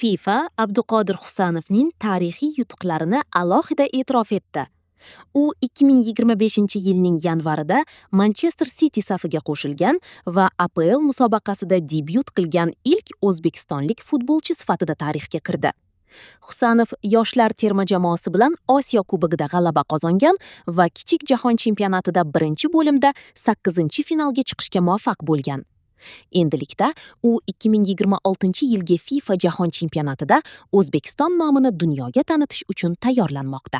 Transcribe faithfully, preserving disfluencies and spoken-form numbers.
FIFA Abduqodir Husanovning tarixiy yutuqlarini alohida e'tirof etdi. U ikki ming yigirma beshinchi yilning yanvarida Manchester City safiga qo'shilgan va A P L musobaqasida debyut qilgan ilk o'zbekistonlik futbolchi sifatida tarixga kirdi. Husanov yoshlar terma jamoasi bilan Osiyo Kubogida g'alaba qozongan va kichik jahon chempionatida birinchi bo'limda sakkizinchi finalga chiqishga muvaffaq bo'lgan. Endilikda u ikki ming yigirma oltinchi yilgi FIFA Jahon chempionatida O'zbekiston nomini dunyoga tanitish uchun tayyorlanmoqda.